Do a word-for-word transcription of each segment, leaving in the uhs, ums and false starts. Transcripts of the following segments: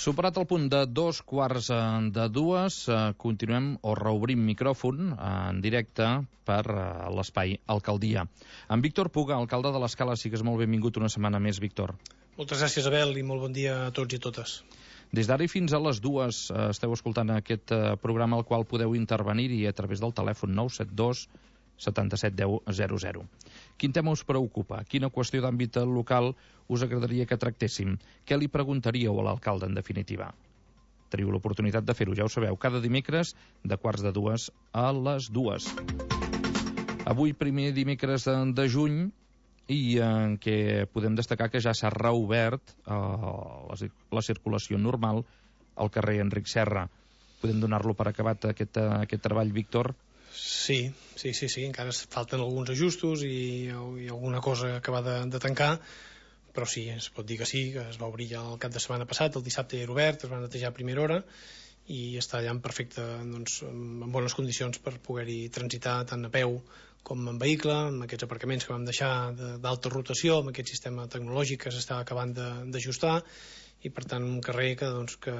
Superat el punt de dos quarts de dues, eh, continuem o reobrim micròfon en directe per eh, l'espai Alcaldia. En Víctor Puga, alcalde de l'Escala, sigues molt benvingut una setmana més, Víctor. Moltes gràcies, Abel, i molt bon dia a tots i totes. Des d'ara i fins a les dues eh, esteu escoltant aquest eh, programa al qual podeu intervenir-hi a través del telèfon nou set dos setanta-set deu zero zero. Quin tema us preocupa? Quina qüestió d'àmbit local us agradaria que tractéssim? Què li preguntaríeu a l'alcalde, en definitiva? Teniu l'oportunitat de fer-ho, ja ho sabeu, cada dimecres de quarts de dues a les dues. Avui, primer dimecres de juny, i en què podem destacar que ja s'ha reobert eh, la, la circulació normal al carrer Enric Serra. Podem donar-lo per acabat aquest, aquest treball, Víctor? Sí, sí, sí, sí, encara falten alguns ajustos i, i alguna cosa acabar de, de tancar, però sí, es pot dir que sí, que es va obrir ja el cap de setmana passat, el dissabte ja era obert, es va netejar a primera hora i està allà en perfecte, doncs, en bones condicions per poder-hi transitar tant a peu com en vehicle, amb aquests aparcaments que vam deixar d'alta rotació, amb aquest sistema tecnològic que s'està acabant d'ajustar, i per tant un carrer que, doncs, que,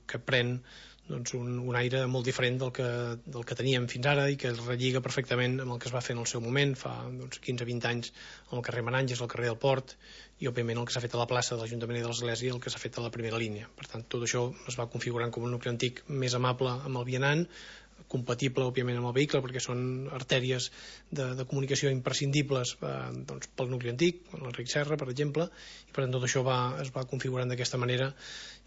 que pren doncs, un, un aire molt diferent del que, del que teníem fins ara i que es relliga perfectament amb el que es va fer en el seu moment fa doncs, quinze a vint anys al carrer Menànges, al carrer del Port, i òbviament el que s'ha fet a la plaça de l'Ajuntament i de l'Església, el que s'ha fet a la primera línia. Per tant, tot això es va configurant com un nucli antic més amable amb el vianant, compatible òbviament amb el vehicle perquè són artèries de, de comunicació imprescindibles eh, doncs, pel nucli antic, l'Enric Serra per exemple, i per tant tot això va, es va configurant d'aquesta manera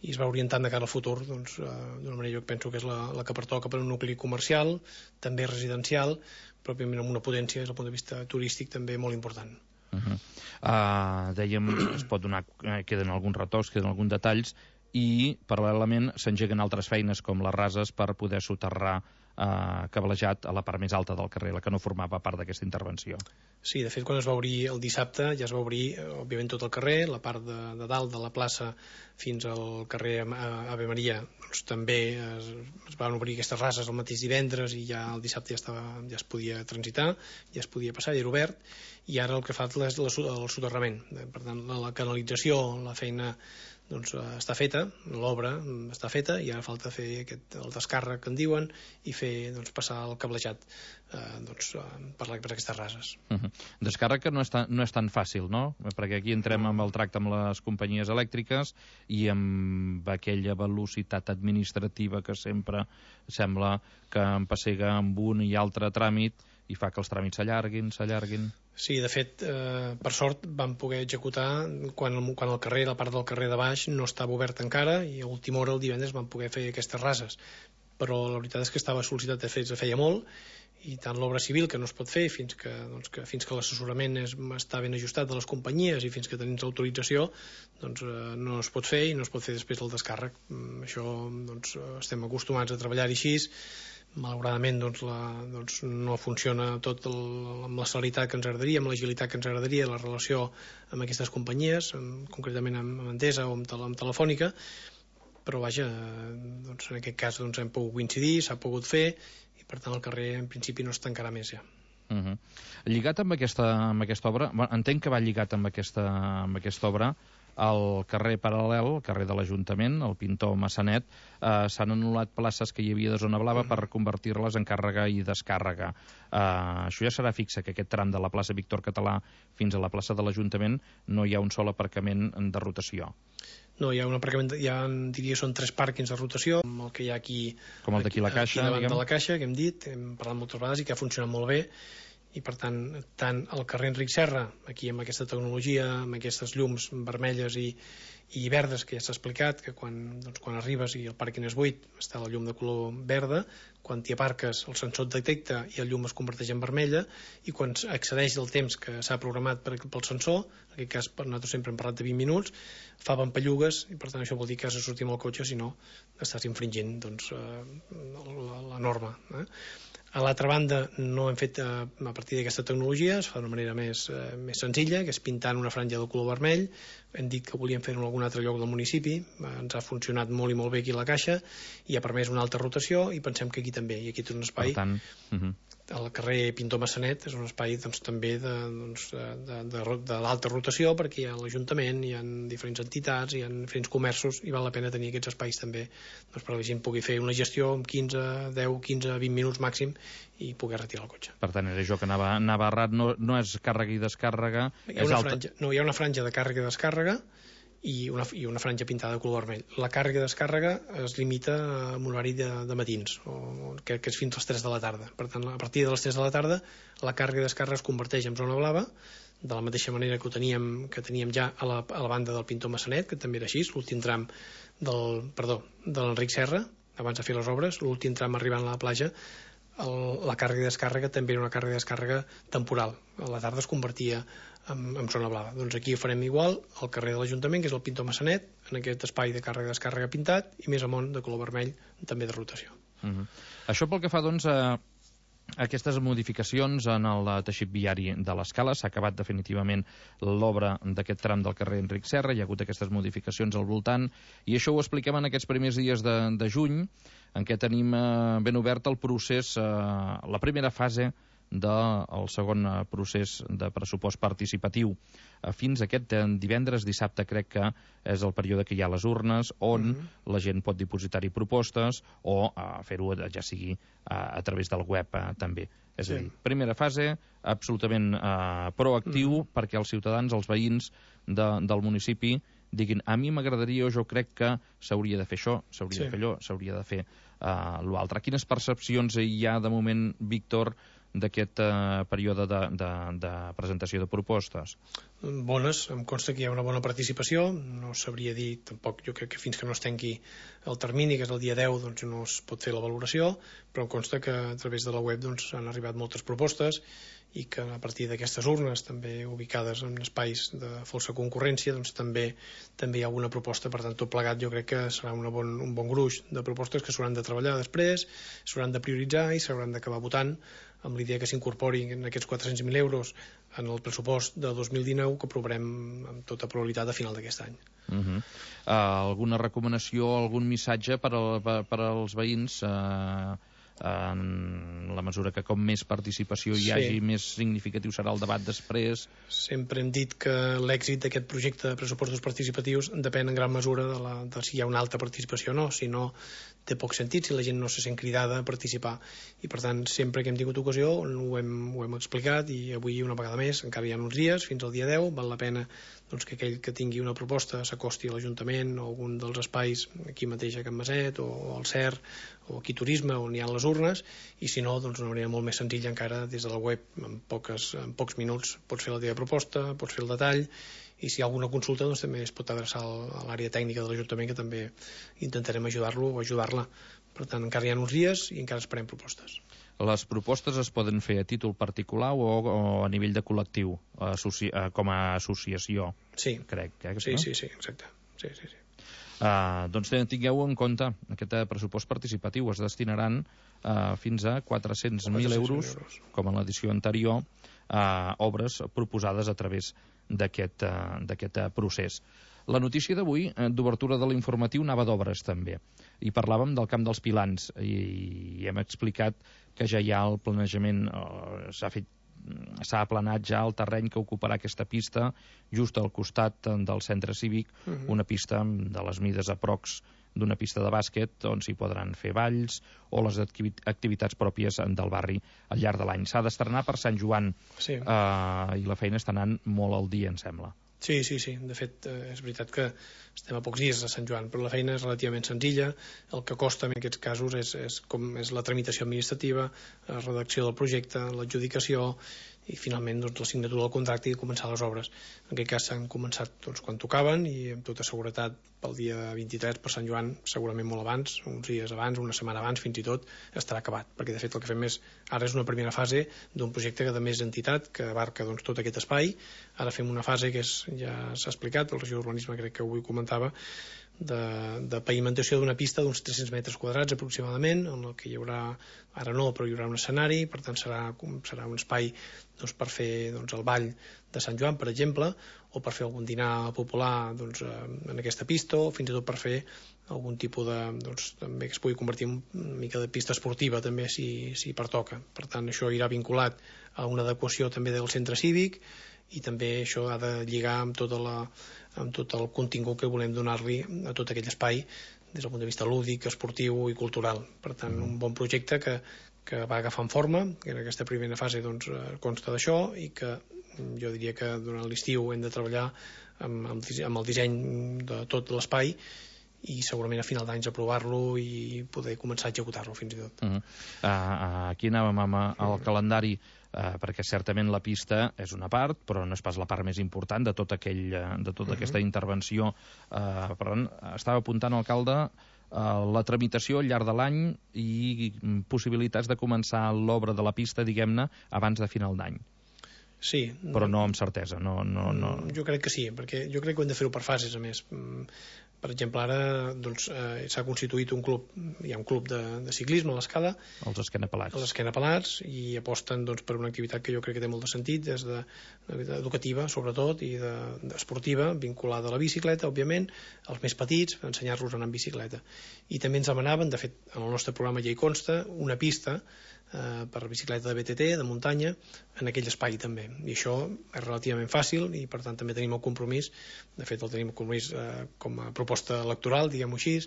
i es va orientant de cara al futur doncs, eh, d'una manera jo penso que és la, la que pertoca per un nucli comercial, també residencial, però òbviament amb una potència des del punt de vista turístic també molt important. Uh -huh. uh, dèiem, es pot donar, eh, queden alguns retocs, queden alguns detalls, i paral·lelament s'engeguen altres feines com les rases per poder soterrar eh, cablejat a la part més alta del carrer, la que no formava part d'aquesta intervenció. Sí, de fet quan es va obrir el dissabte ja es va obrir òbviament tot el carrer, la part de, de dalt de la plaça fins al carrer Ave Maria, doncs també es, es van obrir aquestes rases el mateix divendres i ja el dissabte ja, estava, ja es podia transitar, ja es podia passar, ja era obert, i ara el que fa és el soterrament. Per tant, la, la canalització, la feina doncs està feta, l'obra està feta i ara falta fer aquest, el descàrrec que en diuen i fer doncs, passar el cablejat eh, doncs, per, la, per aquestes rases. Uh -huh. Descàrrec que no és, tan, no és tan fàcil, no? Perquè aquí entrem amb el tracte amb les companyies elèctriques i amb aquella velocitat administrativa que sempre sembla que empessega amb un i altre tràmit i fa que els tràmits s'allarguin, s'allarguin. Sí, de fet, eh, per sort vam poder executar quan el, quan el carrer, la part del carrer de baix no estava obert encara i a última hora el divendres vam poder fer aquestes rases, però la veritat és que estava sol·licitat de fet de feia molt i tant l'obra civil que no es pot fer fins que, doncs, que, fins que l'assessorament està ben ajustat de les companyies i fins que tenim l'autorització doncs, eh, no es pot fer i no es pot fer després del descàrrec. Mm, això doncs, estem acostumats a treballar així. Malauradament doncs, la, doncs, no funciona tot el, amb la celeritat que ens agradaria, amb l'agilitat que ens agradaria la relació amb aquestes companyies, amb, concretament amb Endesa o amb, tele, amb Telefònica, però vaja, doncs, en aquest cas doncs, hem pogut coincidir, s'ha pogut fer i per tant el carrer en principi no es tancarà més ja. Uh -huh. Lligat amb aquesta, amb aquesta obra, bueno, entenc que va lligat amb aquesta, amb aquesta obra, al carrer paral·lel, al carrer de l'Ajuntament, el Pintor Massanet, eh, s'han anul·lat places que hi havia de zona blava per convertir-les en càrrega i descàrrega. Eh, això ja serà fixe, que aquest tram de la plaça Víctor Català fins a la plaça de l'Ajuntament no hi ha un sol aparcament de rotació. No, hi ha un aparcament, hi ha, diria, són tres pàrquings de rotació, com el que hi ha aquí, com el d'aquí la Caixa, aquí davant diguem. de la Caixa, que hem dit, hem parlat moltes vegades i que ha funcionat molt bé, i per tant, tant el carrer Enric Serra, aquí amb aquesta tecnologia, amb aquestes llums vermelles i, i verdes que ja s'ha explicat, que quan, doncs, quan arribes i el pàrquing és buit està la llum de color verda, quan t'hi aparques el sensor et detecta i el llum es converteix en vermella, i quan accedeix el temps que s'ha programat per, pel sensor, en aquest cas nosaltres sempre hem parlat de vint minuts, fa pampallugues i per tant això vol dir que has de sortir amb el cotxe, si no estàs infringint doncs, eh, la, la norma. Eh? A l'altra banda no hem fet eh, a partir d'aquesta tecnologia, es fa d'una manera més, eh, més senzilla, que és pintant una franja de color vermell. Hem dit que volíem fer-ho en algun altre lloc del municipi, eh, ens ha funcionat molt i molt bé aquí a la Caixa i ha permès una alta rotació i pensem que aquí també, i aquí té un espai per tant, uh -huh. el carrer Pintor Massanet és un espai doncs, també de, doncs, de, de, de l'alta rotació, perquè hi ha l'Ajuntament, hi ha diferents entitats, hi ha diferents comerços, i val la pena tenir aquests espais també doncs, perquè la gent pugui fer una gestió en quinze, deu, quinze, vint minuts màxim i poder retirar el cotxe. Per tant, era això que anava, anava errat, no, no és càrrega i descàrrega, hi ha és una alta. franja, no, hi ha una franja de càrrega i descàrrega i una, i una franja pintada de color vermell. La càrrega i descàrrega es limita a un horari de, de matins, o, que, que és fins a les tres de la tarda. Per tant, a partir de les tres de la tarda, la càrrega i descàrrega es converteix en zona blava, de la mateixa manera que ho teníem, que teníem ja a la, a la banda del Pintor Massanet, que també era així, l'últim tram del, perdó, de l'Enric Serra, abans de fer les obres, l'últim tram arribant a la platja, el, la càrrega i descàrrega també era una càrrega i descàrrega temporal. A la tarda es convertia en, en zona blava. Doncs aquí ho farem igual al carrer de l'Ajuntament, que és el Pintor Massanet, en aquest espai de càrrega i descàrrega pintat, i més amunt de color vermell, també de rotació. Uh-huh. Això pel que fa, doncs, a aquestes modificacions en el teixit viari de l'Escala. S'ha acabat definitivament l'obra d'aquest tram del carrer Enric Serra, hi ha hagut aquestes modificacions al voltant, i això ho expliquem en aquests primers dies de, de juny, en què tenim eh, ben obert el procés, eh, la primera fase del segon procés de pressupost participatiu. Fins aquest divendres, dissabte, crec que és el període que hi ha les urnes, on mm-hmm. la gent pot dipositar-hi propostes o uh, fer-ho ja sigui uh, a través del web uh, també. És sí. a dir, primera fase, absolutament uh, proactiu, mm-hmm. perquè els ciutadans, els veïns de, del municipi diguin, a mi m'agradaria o jo crec que s'hauria de fer això, s'hauria sí. de fer allò, s'hauria de fer uh, l'altre. Quines percepcions hi ha de moment, Víctor, d'aquest uh, període de, de, de presentació de propostes? Bones, em consta que hi ha una bona participació, no sabria dir tampoc, jo crec que fins que no es tanqui el termini, que és el dia deu, doncs no es pot fer la valoració, però em consta que a través de la web doncs, han arribat moltes propostes i que a partir d'aquestes urnes, també ubicades en espais de falsa concurrència, doncs també també hi ha alguna proposta. Per tant, tot plegat jo crec que serà una bon, un bon gruix de propostes que s'hauran de treballar després, s'hauran de prioritzar i s'hauran d'acabar votant amb l'idea que s'incorporin en aquests quatre-cents mil euros en el pressupost de dos mil dinou, que aprovarem amb tota probabilitat a final d'aquest any. Uh-huh. uh, alguna recomanació, algun missatge per, al, per, per als veïns uh, en la mesura que com més participació hi hagi, sí. més significatiu serà el debat després? Sempre hem dit que l'èxit d'aquest projecte de pressupostos participatius depèn en gran mesura de, la, de si hi ha una alta participació o no, si no té poc sentit, si la gent no se sent cridada a participar. I per tant, sempre que hem tingut ocasió ho hem, ho hem explicat, i avui una vegada més, encara hi ha uns dies, fins al dia deu, val la pena doncs, que aquell que tingui una proposta s'acosti a l'Ajuntament o algun dels espais aquí mateix a Can Maset o al C E R o aquí Turisme, on hi ha les urnes, i si no, doncs una manera molt més senzilla encara des de la web, en, poques, en pocs minuts pots fer la teva proposta, pots fer el detall, i si hi ha alguna consulta doncs també es pot adreçar a l'àrea tècnica de l'Ajuntament, que també intentarem ajudar-lo o ajudar-la. Per tant, encara hi ha uns dies i encara esperem propostes. Les propostes es poden fer a títol particular o, o a nivell de col·lectiu, associ, com a associació, sí. crec. Eh, sí, no? sí, sí, exacte. Sí, sí, sí. Uh, doncs tingueu en compte, aquest pressupost participatiu es destinaran uh, fins a quatre-cents mil euros, com en l'edició anterior, a uh, obres proposades a través d'aquest uh, d'aquest uh, procés. La notícia d'avui, uh, d'obertura de l'informatiu, anava d'obres també, i parlàvem del Camp dels Pilans, i, i hem explicat que ja hi ha el planejament, uh, s'ha fet s'ha aplanat ja el terreny que ocuparà aquesta pista just al costat del centre cívic, uh-huh. una pista de les mides aprox d'una pista de bàsquet on s'hi podran fer balls o les activitats pròpies del barri al llarg de l'any. S'ha d'estrenar per Sant Joan, sí. eh, i la feina està anant molt al dia, em sembla. Sí, sí, sí. De fet, eh, és veritat que estem a pocs dies a Sant Joan, però la feina és relativament senzilla. El que costa en aquests casos és, és, com és la tramitació administrativa, la redacció del projecte, l'adjudicació i finalment doncs, la signatura del contracte i començar les obres. En aquest cas s'han començat doncs, quan tocaven i amb tota seguretat pel dia vint-i-tres, per Sant Joan, segurament molt abans, uns dies abans, una setmana abans, fins i tot, estarà acabat. Perquè de fet el que fem és, ara és una primera fase d'un projecte que de més entitat, que abarca doncs, tot aquest espai, Ara fem una fase que és, ja s'ha explicat, el regidor d'Urbanisme crec que avui comentava, de, de pavimentació d'una pista d'uns tres-cents metres quadrats aproximadament, en el que hi haurà, ara no, però hi haurà un escenari, per tant serà, serà un espai doncs, per fer doncs, el ball de Sant Joan, per exemple, o per fer algun dinar popular doncs, en aquesta pista, o fins i tot per fer algun tipus de, doncs, també que es pugui convertir en una mica de pista esportiva també si, si pertoca. Per tant, això irà vinculat a una adequació també del centre cívic, i també això ha de lligar amb, tota la, amb tot el contingut que volem donar-li a tot aquell espai des del punt de vista lúdic, esportiu i cultural. Per tant, un bon projecte que, que va agafant forma, que en aquesta primera fase doncs, consta d'això, i que jo diria que durant l'estiu hem de treballar amb, amb el disseny de tot l'espai i segurament a final d'anys aprovar-lo i poder començar a executar-lo fins i tot. Uh -huh. uh, aquí anàvem amb el calendari, uh, perquè certament la pista és una part, però no és pas la part més important de, tot aquell, de tota uh -huh. aquesta intervenció. Uh, per tant, estava apuntant, alcalde, uh, la tramitació al llarg de l'any i possibilitats de començar l'obra de la pista, diguem-ne, abans de final d'any. Sí. Però no amb certesa. No, no, no... Jo crec que sí, perquè jo crec que hem de fer-ho per fases, a més. Per exemple, ara doncs, eh, s'ha constituït un club, hi ha un club de, de ciclisme a l'Escala, els esquenapelats, els esquenapelats, i aposten doncs, per una activitat que jo crec que té molt de sentit, des de, de educativa, sobretot, i de, de esportiva, vinculada a la bicicleta, òbviament, els més petits, ensenyar-los a anar en bicicleta. I també ens demanaven, de fet, en el nostre programa ja hi consta, una pista eh, per bicicleta de B T T, de muntanya, en aquell espai també. I això és relativament fàcil i, per tant, també tenim el compromís, de fet, el tenim el compromís eh, com a proposta electoral, diguem-ho així,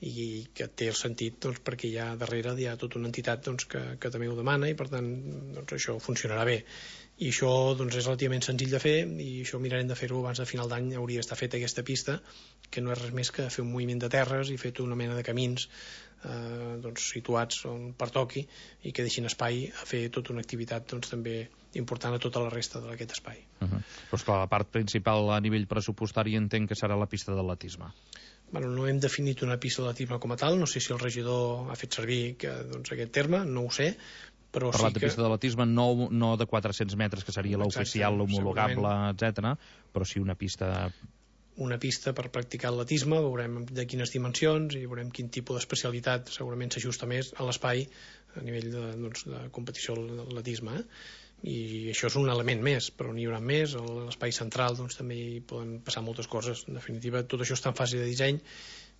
i que té el sentit doncs, perquè hi ha darrere hi ha tota una entitat doncs, que, que també ho demana i per tant doncs, això funcionarà bé. I això doncs, és relativament senzill de fer i això mirarem de fer-ho abans de final d'any. Hauria d'estar feta aquesta pista, que no és res més que fer un moviment de terres i fer tota una mena de camins eh, doncs, situats on pertoqui i que deixin espai a fer tota una activitat doncs, també important a tota la resta d'aquest espai. Uh -huh. Però esclar, la part principal a nivell pressupostari entenc que serà la pista d'atletisme. Bueno, no hem definit una pista d'atletisme com a tal, no sé si el regidor ha fet servir que, doncs, aquest terme, no ho sé, però parlat sí que... de pista d'atletisme no, no de quatre-cents metres, que seria l'oficial, l'homologable, etcètera, però sí una pista... una pista per practicar atletisme, veurem de quines dimensions i veurem quin tipus d'especialitat segurament s'ajusta més a l'espai a nivell de, doncs, de competició d'atletisme, eh? I això és un element més, però n'hi haurà més. A l'espai central doncs, també hi poden passar moltes coses. En definitiva, tot això està en fase de disseny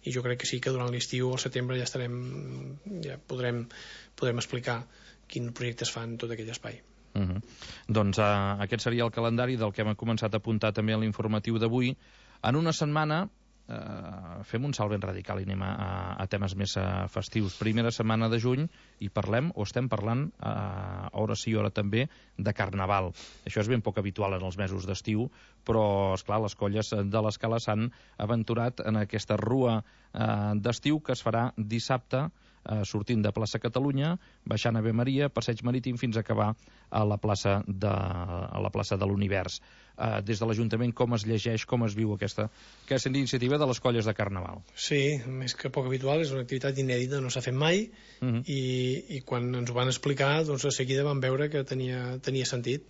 i jo crec que sí que durant l'estiu, al setembre, ja estarem, ja podrem, podrem explicar quin projecte es fa en tot aquell espai. Uh -huh. Doncs uh, aquest seria el calendari del que hem començat a apuntar també a l'informatiu d'avui. En una setmana Uh, fem un salt ben radical i anem a, a temes més uh, festius. Primera setmana de juny i parlem, o estem parlant uh, hora sí, hora també, de Carnaval. Això és ben poc habitual en els mesos d'estiu, però, esclar, les colles de l'Escala s'han aventurat en aquesta rua uh, d'estiu que es farà dissabte, uh, sortint de plaça Catalunya, baixant a Ave Maria, passeig marítim, fins a acabar a la plaça de, a la plaça de l'Univers. Uh, des de l'Ajuntament, com es llegeix, com es viu aquesta, aquesta iniciativa de les colles de Carnaval? Sí, més que poc habitual, és una activitat inèdita, no s'ha fet mai, uh -huh. i, i quan ens ho van explicar, doncs a seguida vam veure que tenia, tenia sentit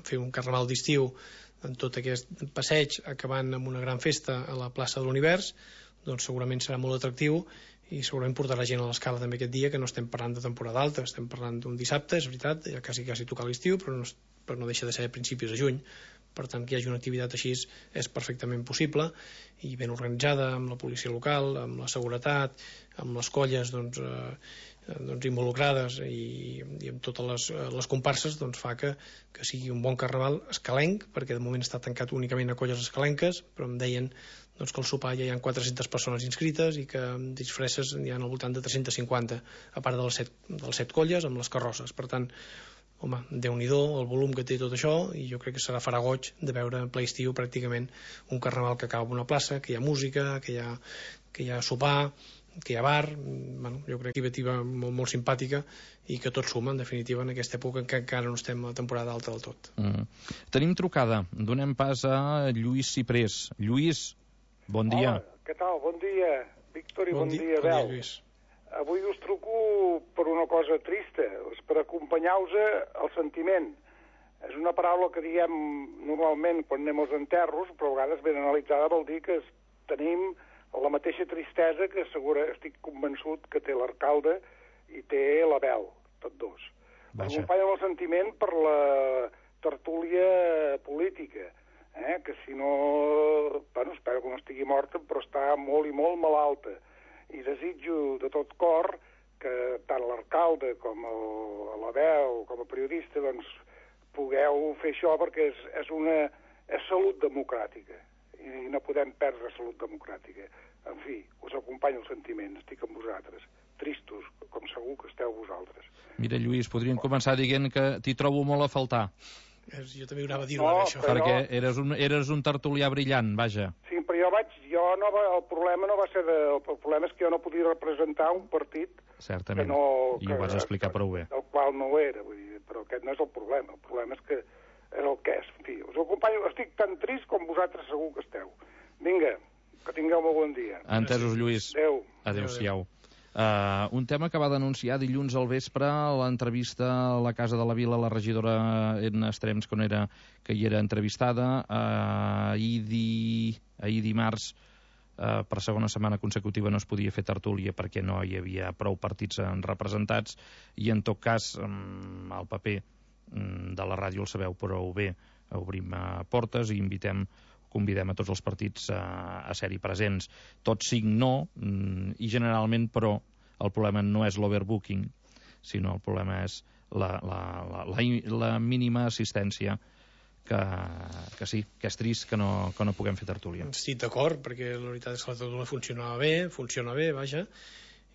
fer un Carnaval d'estiu en tot aquest passeig, acabant amb una gran festa a la plaça de l'Univers, doncs segurament serà molt atractiu i segurament portarà gent a l'Escala també aquest dia, que no estem parlant de temporada alta, estem parlant d'un dissabte, és veritat, ja quasi quasi tocar l'estiu, però no, però no deixa de ser a principis de juny. Per tant, que hi hagi una activitat així és perfectament possible i ben organitzada, amb la policia local, amb la seguretat, amb les colles doncs, eh, doncs involucrades i, i amb totes les, les comparses, doncs fa que, que sigui un bon carnaval escalenc, perquè de moment està tancat únicament a colles escalenques, però em deien doncs, que al sopar ja hi ha quatre-centes persones inscrites i que amb disfresses hi ha al voltant de tres-centes cinquanta, a part de les set, de les set colles amb les carrosses. Per tant, home, Déu-n'hi-do el volum que té tot això, i jo crec que serà farà goig de veure en ple estiu pràcticament un carnaval que acaba en una plaça, que hi ha música, que hi ha, que hi ha sopar, que hi ha bar. Bueno, jo crec que és una molt, molt simpàtica i que tot suma, en definitiva, en aquesta època en què encara no estem a la temporada alta del tot. Mm. Tenim trucada. Donem pas a Lluís Ciprés. Lluís, bon dia. Hola, què tal? Bon dia, Víctor, i bon, bon dia, dia Bel. Bon dia, Lluís. Avui us truco per una cosa trista, és per acompanyar-vos el sentiment. És una paraula que diem normalment quan anem als enterros, però a vegades ben analitzada vol dir que tenim la mateixa tristesa que segura, estic convençut que té l'alcalde i té l'Abel, tots dos. M'acompanya el sentiment per la tertúlia política, eh? Que si no... Bueno, espero que no estigui morta, però està molt i molt malalta. I desitjo de tot cor que tant l'alcalde com l'Abel, com a periodista, doncs, pugueu fer això perquè és, és una és salut democràtica i no podem perdre salut democràtica. En fi, us acompanyo el sentiment, estic amb vosaltres, tristos, com segur que esteu vosaltres. Mira, Lluís, podríem començar dient que t'hi trobo molt a faltar. Jo també ho anava a dir-ho, no, això. Perquè jo... eres, un, eres un tertulià brillant, vaja. Sí, però jo vaig... Jo no va, el problema no va ser de... El problema és que jo no podia representar un partit certament, que no... i ho vas explicar prou bé. El qual no ho era, vull dir, però aquest no és el problema. El problema és que és el que és. En fi, us acompanyo, estic tan trist com vosaltres segur que esteu. Vinga, que tingueu molt bon dia. Entesos, Lluís. Adéu. Adéu-siau. Uh, un tema que va denunciar dilluns al vespre a l'entrevista a la Casa de la Vila, la regidora Edna Estrems, que, era, que hi era entrevistada, uh, ahir, di, ahir dimarts, uh, per segona setmana consecutiva no es podia fer tertúlia perquè no hi havia prou partits representats, i en tot cas um, el paper um, de la ràdio el sabeu prou bé, obrim uh, portes i invitem convidem a tots els partits a, a ser-hi presents. Tots cinc no, i generalment, però, el problema no és l'overbooking, sinó el problema és la, la, la, la, la mínima assistència que, que sí, que és trist que no, que no puguem fer tertúlia. Estic d'acord, perquè la veritat és que la tertúlia funcionava bé, funciona bé, vaja,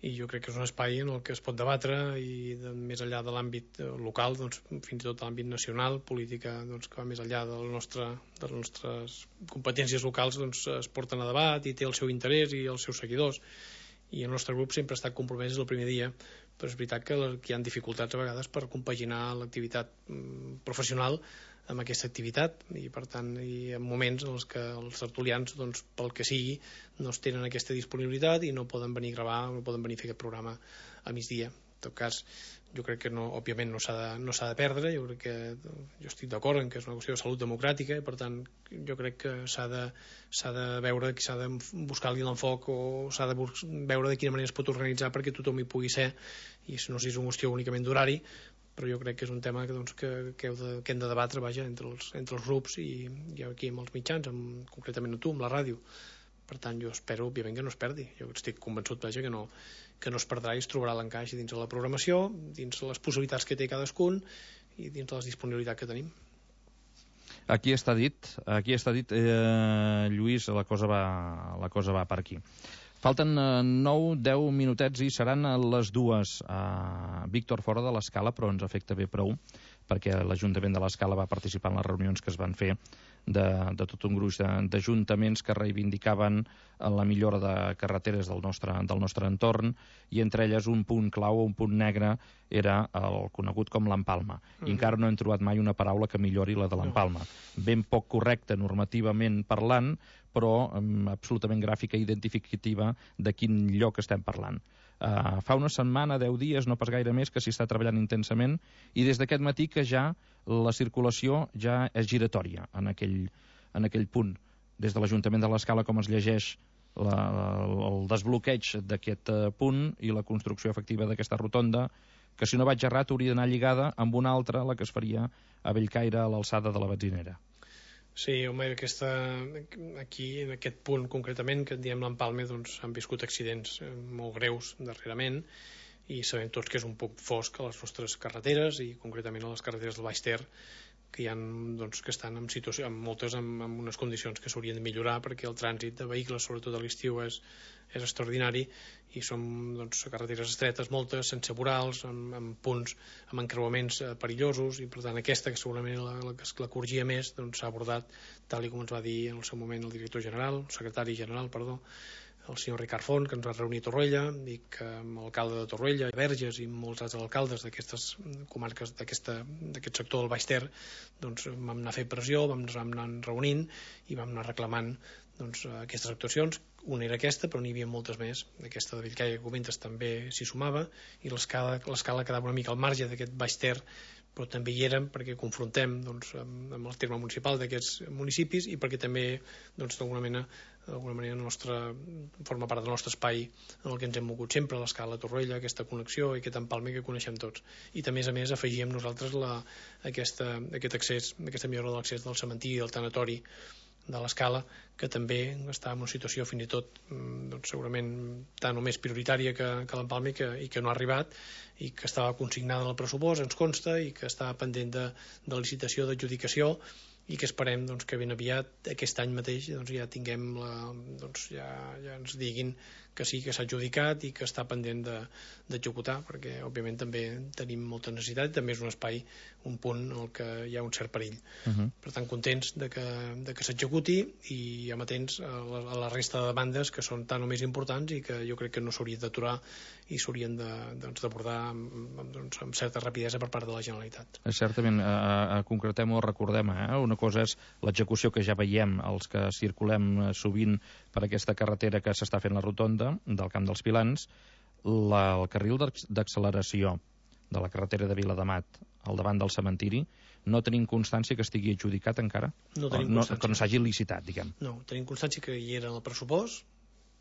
i jo crec que és un espai en el que es pot debatre i de, més enllà de l'àmbit local, doncs, fins i tot l'àmbit nacional, política doncs, que va més enllà del nostre, de les nostres competències locals, doncs, es porten a debat i té el seu interès i els seus seguidors, i el nostre grup sempre ha estat compromès des del primer dia, però és veritat que, que hi ha dificultats a vegades per compaginar l'activitat professional amb aquesta activitat, i per tant hi ha moments en els que els tertulians, doncs, pel que sigui, no tenen aquesta disponibilitat i no poden venir a gravar, no poden venir a fer aquest programa a migdia. En tot cas, jo crec que no, òbviament no s'ha de, no s'ha de perdre, jo crec que jo estic d'acord en que és una qüestió de salut democràtica i per tant jo crec que s'ha de, s'ha de veure, s'ha de buscar-li l'enfoc o s'ha de veure de quina manera es pot organitzar perquè tothom hi pugui ser, i no sé si és una qüestió únicament d'horari, però jo crec que és un tema que, doncs, que, que, heu de, que hem de debatre, vaja, entre els, entre els grups i, i aquí amb els mitjans, amb, concretament amb tu, amb la ràdio. Per tant, jo espero, òbviament, que no es perdi. Jo estic convençut, vaja, que no, que no es perdrà i es trobarà l'encaix dins de la programació, dins de les possibilitats que té cadascun i dins de les disponibilitats que tenim. Aquí està dit, aquí està dit, eh, Lluís, la cosa va, la cosa va per aquí. Falten nou deu minutets i seran les dues. Uh, Víctor, fora de l'Escala, però ens afecta bé prou, perquè l'Ajuntament de l'Escala va participar en les reunions que es van fer de, de tot un gruix d'ajuntaments que reivindicaven la millora de carreteres del nostre, del nostre entorn, i entre elles un punt clau, un punt negre, era el conegut com l'empalma. Mm-hmm. I encara no hem trobat mai una paraula que millori la de l'empalma. No. Ben poc correcta normativament parlant, però um, absolutament gràfica i identificativa de quin lloc estem parlant. Uh, fa una setmana, deu dies, no pas gaire més, que s'hi està treballant intensament, i des d'aquest matí que ja la circulació ja és giratòria en aquell, en aquell punt. Des de l'Ajuntament de l'Escala, com es llegeix la, la, el desbloqueig d'aquest uh, punt i la construcció efectiva d'aquesta rotonda, que si no vaig errat hauria d'anar lligada amb una altra, la que es faria a Bellcaire, a l'alçada de la benzinera. Sí, home, aquesta, aquí, en aquest punt concretament, que en diem l'Empalme, doncs han viscut accidents molt greus darrerament, i sabem tots que és un punt fosc a les nostres carreteres, i concretament a les carreteres del Baix Ter, que hi ha, doncs, que estan en situació, en moltes amb, amb unes condicions que s'haurien de millorar, perquè el trànsit de vehicles, sobretot a l'estiu, és, és extraordinari, i són, doncs, carreteres estretes moltes, sense vorals, amb, amb punts, amb encreuaments eh, perillosos, i per tant aquesta, que segurament la, la, la corregia més, doncs s'ha abordat, tal i com ens va dir en el seu moment el director general, el secretari general, perdó, el senyor Ricard Font, que ens va reunir a Torroella, i que amb l'alcalde de Torroella, Verges i molts altres alcaldes d'aquestes comarques, d'aquest sector del Baix Ter, doncs vam anar a fer pressió, vam, vam anar reunint i vam anar reclamant, doncs, aquestes actuacions. Una era aquesta, però n'hi havia moltes més. Aquesta de Bellcaire que comentes també s'hi sumava, i l'escala quedava una mica al marge d'aquest Baix Ter, però també hi érem perquè confrontem doncs, amb, amb el terme municipal d'aquests municipis i perquè també doncs, d'alguna mena d'alguna manera nostra, forma part del nostre espai en el que ens hem mogut sempre, l'escala Torroella, aquesta connexió i aquest empalme que coneixem tots. I també, a més, afegíem nosaltres la, aquesta, aquest accés, aquesta millora de l'accés del cementiri i del tanatori de l'escala, que també està en una situació fins i tot doncs, segurament tant o més prioritària que, que l'empalme i que, i que no ha arribat i que estava consignada en el pressupost, ens consta, i que està pendent de, de licitació, d'adjudicació, i que esperem doncs, que ben aviat aquest any mateix doncs, ja tinguem la, doncs, ja, ja ens diguin que sí, que s'ha adjudicat i que està pendent d'executar, perquè òbviament també tenim molta necessitat i també és un espai, un punt en el que hi ha un cert perill. Uh-huh. Per tant, contents de que, de que s'executi i amatents a la, a la resta de demandes que són tan o més importants i que jo crec que no s'haurien d'aturar i s'haurien d'abordar doncs, amb, doncs, amb certa rapidesa per part de la Generalitat. Certament, eh, concretem o recordem, eh? Una cosa és l'execució que ja veiem, els que circulem sovint per aquesta carretera que s'està fent la rotonda del Camp dels Pilans, la, el carril d'acceleració de la carretera de Viladamat al davant del cementiri, no tenim constància que estigui adjudicat encara? No tenim no, constància. Que no s'hagi licitat, diguem. No, tenim constància que hi era en el pressupost,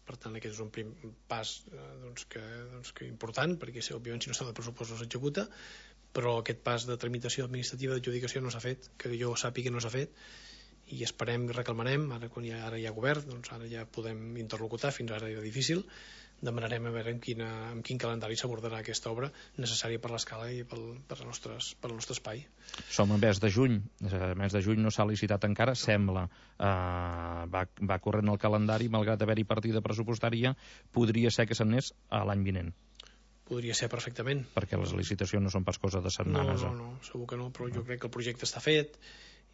per tant aquest és un prim pas eh, doncs que, doncs que important, perquè òbviament si no està de pressupost no s'executa, però aquest pas de tramitació administrativa d'adjudicació no s'ha fet, que jo sàpiga no s'ha fet, i esperem i reclamarem, ara quan hi ha, ara hi ha govern, doncs ara ja podem interlocutar, fins ara era difícil, demanarem a veure en, quina, en quin calendari s'abordarà aquesta obra necessària per l'escala i pel, per, nostres, per el nostre espai. Som a mes de juny, a mes de juny no s'ha licitat encara, sembla, eh, va, va corrent el calendari, malgrat haver-hi partida pressupostària, podria ser que s'anés a l'any vinent. Podria ser perfectament. Perquè les licitacions no són pas cosa de setmanes. No, no, no, segur que no, però jo crec que el projecte està fet,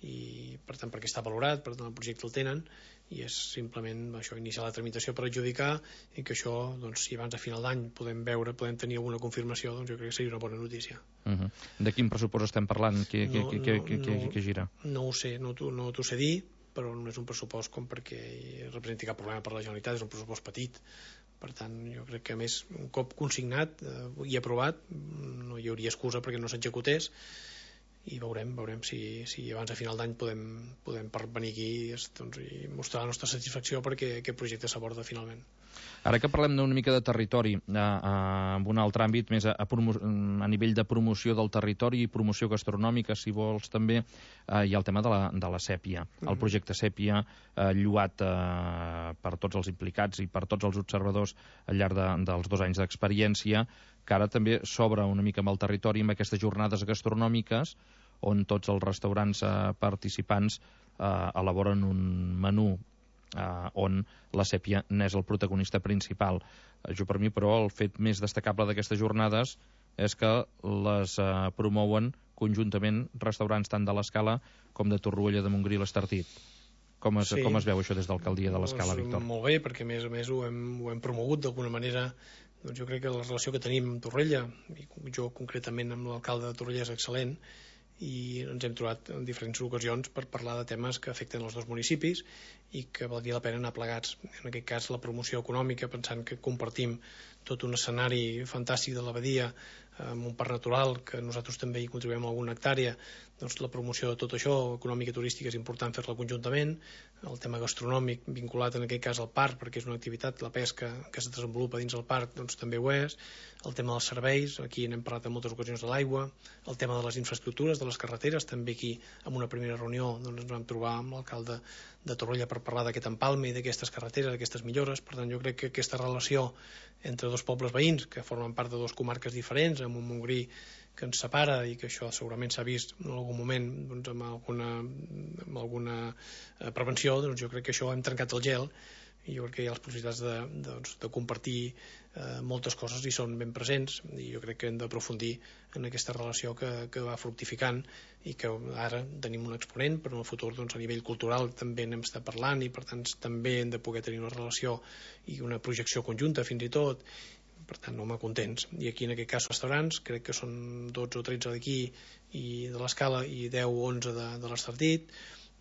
i per tant perquè està valorat, per tant el projecte el tenen i és simplement això, iniciar la tramitació per adjudicar i que això, doncs, si abans de final d'any podem veure, podem tenir alguna confirmació, doncs jo crec que seria una bona notícia. Uh-huh. De quin pressupost estem parlant? Què, no, què, què, no, què, no, què gira? No ho sé, no t'ho no sé dir, però no és un pressupost com perquè representi cap problema per la Generalitat, és un pressupost petit. Per tant, jo crec que a més un cop consignat eh, i aprovat no hi hauria excusa perquè no s'executés i veurem, veurem si, si abans de final d'any podem, podem venir aquí doncs, i mostrar la nostra satisfacció perquè aquest projecte s'aborda finalment. Ara que parlem d'una mica de territori, eh, eh, en un altre àmbit, més a, a, a nivell de promoció del territori i promoció gastronòmica, si vols també, eh, hi ha el tema de la, de la sèpia. Mm-hmm. El projecte Sèpia, eh, lluat eh, per tots els implicats i per tots els observadors al llarg de, dels dos anys d'experiència, que ara també s'obre una mica amb el territori amb aquestes jornades gastronòmiques on tots els restaurants eh, participants eh, elaboren un menú eh, on la sèpia n'és el protagonista principal. Eh, jo per mi, però, el fet més destacable d'aquestes jornades és que les eh, promouen conjuntament restaurants tant de l'Escala com de Torroella de Montgrí i l'Estartit. Com es, sí. com es veu això des d'Alcaldia de l'Escala, doncs, Víctor? Molt bé, perquè a més a més ho hem, ho hem promogut d'alguna manera. Doncs jo crec que la relació que tenim amb Torroella, i jo concretament amb l'alcalde de Torroella, és excel·lent, i ens hem trobat en diferents ocasions per parlar de temes que afecten els dos municipis i que valdria la pena anar plegats. En aquest cas, la promoció econòmica, pensant que compartim tot un escenari fantàstic de l'abadia amb un parc natural, que nosaltres també hi contribuïm a alguna hectàrea, doncs la promoció de tot això, econòmica i turística, és important fer-la conjuntament. El tema gastronòmic, vinculat en aquest cas al parc, perquè és una activitat, la pesca, que es desenvolupa dins el parc, doncs també ho és. El tema dels serveis, aquí n'hem parlat en moltes ocasions de l'aigua. El tema de les infraestructures, de les carreteres, també aquí, en una primera reunió, doncs ens vam trobar amb l'alcalde de Torroella per parlar d'aquest empalme i d'aquestes carreteres, d'aquestes millores. Per tant, jo crec que aquesta relació entre dos pobles veïns, que formen part de dues comarques diferents, amb un Montgrí que ens separa i que això segurament s'ha vist en algun moment doncs, amb alguna, amb alguna eh, prevenció, doncs jo crec que això hem trencat el gel i jo crec que hi ha les possibilitats de, de, doncs, de compartir eh, moltes coses i són ben presents i jo crec que hem d'aprofundir en aquesta relació que, que va fructificant i que ara tenim un exponent, però en el futur doncs, a nivell cultural també n'hem estat parlant i per tant també hem de poder tenir una relació i una projecció conjunta fins i tot. Per tant, home, contents. I aquí, en aquest cas, restaurants, crec que són dotze o tretze d'aquí i de l'Escala i deu o onze de, de l'Estartit.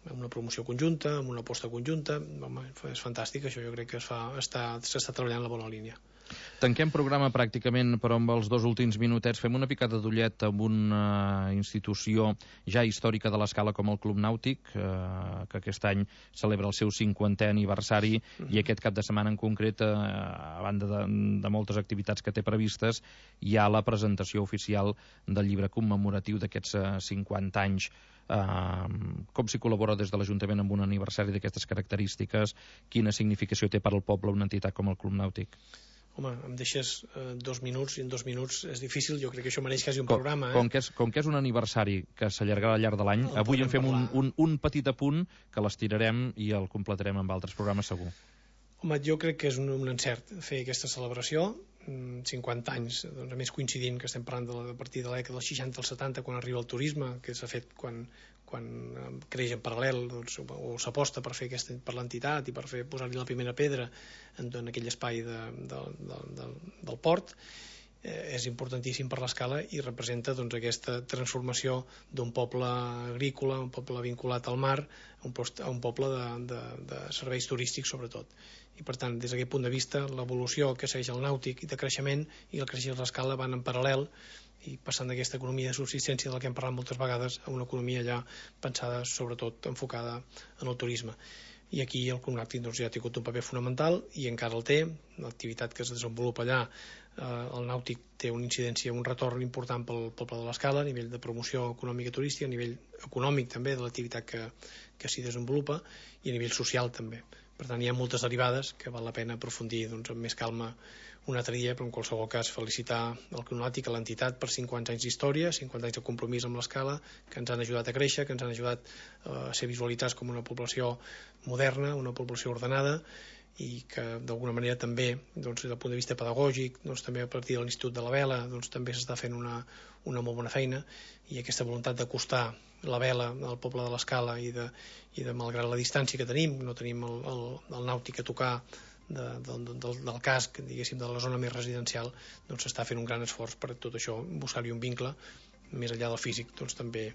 amb una promoció conjunta, amb una aposta conjunta. Home, és fantàstic, això jo crec que es fa, està, s'està treballant en la bona línia. Tanquem programa pràcticament, però amb els dos últims minutets fem una picada d'ullet amb una institució ja històrica de l'Escala com el Club Nàutic, eh, que aquest any celebra el seu cinquantè aniversari, mm-hmm. i aquest cap de setmana en concret, eh, a banda de, de moltes activitats que té previstes, hi ha la presentació oficial del llibre commemoratiu d'aquests eh, cinquanta anys. Uh, com s'hi col·labora des de l'Ajuntament amb un aniversari d'aquestes característiques? Quina significació té per al poble una entitat com el Club Nàutic? Home, em deixes eh, dos minuts i en dos minuts és difícil, jo crec que això mereix quasi un com, programa. Eh? Com, que és, com que és un aniversari que s'allargarà al llarg de l'any, avui en fem un, un, un petit apunt que l'estirarem i el completarem amb altres programes segur. Home, jo crec que és un, un encert fer aquesta celebració, cinquanta anys, doncs, a més coincidint que estem parlant de, la, a partir de l'època dels seixanta als setanta, quan arriba el turisme, que s'ha fet quan, quan creix en paral·lel, doncs, o s'aposta per fer aquesta, per l'entitat i per fer posar-hi la primera pedra en, en aquell espai de, de, de, de, del port. Eh, és importantíssim per l'Escala i representa doncs, aquesta transformació d'un poble agrícola, un poble vinculat al mar, a un, post, a un poble de, de, de serveis turístics sobretot. I per tant, des d'aquest punt de vista, l'evolució que segueix el nàutic i de creixement i el creixement de l'Escala van en paral·lel i passant d'aquesta economia de subsistència de la que hem parlat moltes vegades a una economia ja pensada, sobretot enfocada en el turisme. I aquí el Club Nàutic doncs, ja ha tingut un paper fonamental i encara el té. L'activitat que es desenvolupa allà, eh, el nàutic té una incidència, un retorn important pel poble de l'Escala a nivell de promoció econòmica i turística, a nivell econòmic també de l'activitat que, que s'hi desenvolupa i a nivell social també. Per tant, hi ha moltes derivades que val la pena aprofundir doncs, amb més calma un altre dia, però en qualsevol cas felicitar el Club Nàutic, a l'entitat, per cinquanta anys d'història, cinquanta anys de compromís amb l'Escala, que ens han ajudat a créixer, que ens han ajudat a ser visualitzats com una població moderna, una població ordenada, i que d'alguna manera també, doncs, des del punt de vista pedagògic, doncs, també a partir de l'Institut de la Vela, doncs, també s'està fent una, una molt bona feina, i aquesta voluntat d'acostar la vela al poble de l'Escala i, de, i de, malgrat la distància que tenim, no tenim el, el, el nàutic a tocar de, del, del, del casc, diguéssim, de la zona més residencial, doncs s'està fent un gran esforç per tot això, buscar-hi un vincle, més enllà del físic, doncs també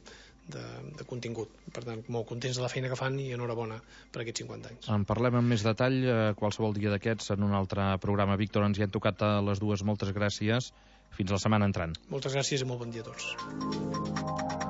de, de contingut. Per tant, molt contents de la feina que fan i enhorabona per aquests cinquanta anys. En parlem amb més detall eh, qualsevol dia d'aquests en un altre programa. Víctor, ens hi han tocat a les dues. Moltes gràcies. Fins la setmana entrant. Moltes gràcies i molt bon dia a tots.